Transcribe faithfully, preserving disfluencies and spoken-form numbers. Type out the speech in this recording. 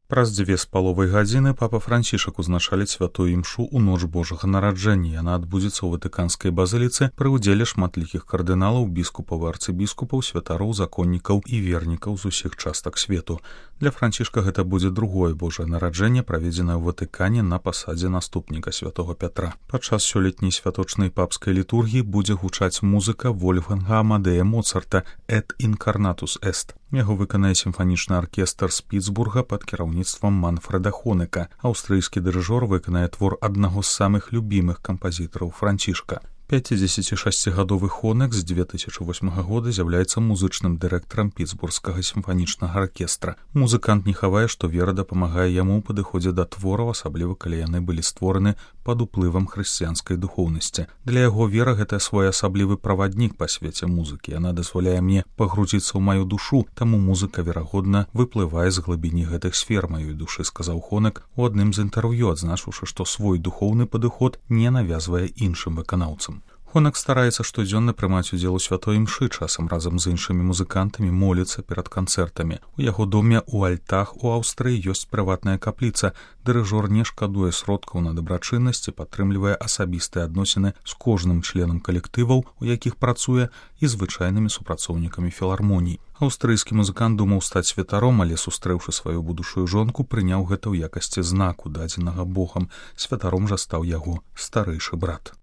Праз дзве з паловай гадзіны папа Францішак узначаліць святую імшу ў ноч Божага нараджэння. Яна адбудзецца ў Ватыканскай базыліцы пры ўдзеле шматлікіх кардыналаў, біскупаў, арцыбіскупаў, святароў, законнікаў і вернікаў з усіх частак свету. Для Францішка гэта будзе другое Божае нараджэнне, праведзенае ў Ватыкане на пасадзе наступніка святого Пятра. Падчас сёлетняй святочнай папскай літургіі будзе гучаць музыка Вольфганга Амадея Моцарта «Et incarnatus est». Яго выканае сімфанічны аркестр з Пітсбурга пад кіраўніцтвам Манфреда Хонека. Аўстрыйскі дырыжор выканае твор аднаго з самых любімых кампазітараў Францішка. пяцідзесяцішасцігадовы Хонек з дзве тысячы восьмага года з'яўляецца музычным дырэктарам Пітсбургскага сімфанічнага аркестра. Музыкант не хавае, што вера дапамагае яму ў падыходзе да твораў, асабліва калі яны былі створаны пад уплывам хрысціянскай духоўнасці. Для яго вера гэта своеасаблівы праваднік па свеце музыкі. Яна дазваляе мне пагрузіцца ў маю душу, таму музыка, верагодна, выплывае з глыбіні гэтых сфер маёй душы, сказаў Хонек у адным з інтэрв'ю, адзначыўшы, што свой духоўны падыход не навязвае іншым выканаўцам. Хонек стараецца штодзённа прымаць удзел у святой імшы, часам разам з іншымі музыкантамі моліцца перад канцэртамі. У яго доме ў Альтах у Аўстрыі ёсць прыватная капліца. Дырыжор не шкадуе сродкаў на дабрачыннасць і падтрымлівае асабістыя адносіны з кожным членам калектываў, у якіх працуе, і звычайнымі супрацоўнікамі філармоній. Аўстрыйскі музыкант думаў стаць святаром, але, сустрэўшы сваю будучую жонку, прыняў гэта ў якасці знаку, дадзенага Богам. Святаром жа стаў яго старэйшы брат.